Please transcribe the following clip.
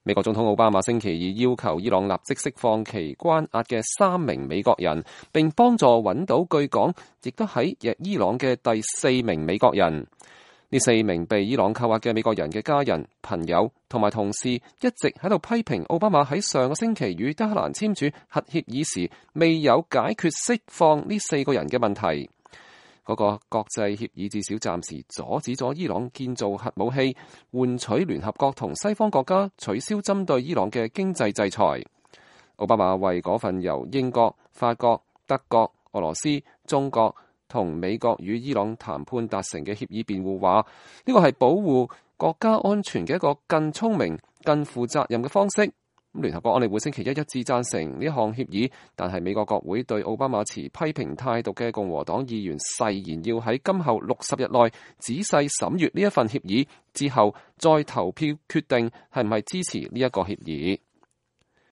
美國總統奧巴馬星期二要求伊朗立即釋放其關押嘅3名美國人，並幫助揾到據講亦都喺伊朗嘅第4名美國人。呢4名被伊朗扣押嘅美國人嘅家人、朋友同埋同事一直喺度批評奧巴馬喺上個星期與德黑蘭簽署核協議時未有解決釋放呢4個人嘅問題。嗰個國際協議至少暫時阻止咗伊朗建造核武器，換取聯合國同西方國家取消針對伊朗嘅經濟制裁。奧巴馬為嗰份由英國、法國、德國、俄羅斯、中國同美國與伊朗談判達成嘅協議辯護，話呢個係保護國家安全嘅一個更聰明、更負責任嘅方式。聯合國安理會星期一致贊成呢項協議，但係美國國會對奧巴馬持批評態度嘅共和黨議員誓言要喺今後60日內仔細審閱呢一份協議，之後再投票決定係唔係支持呢一個協議。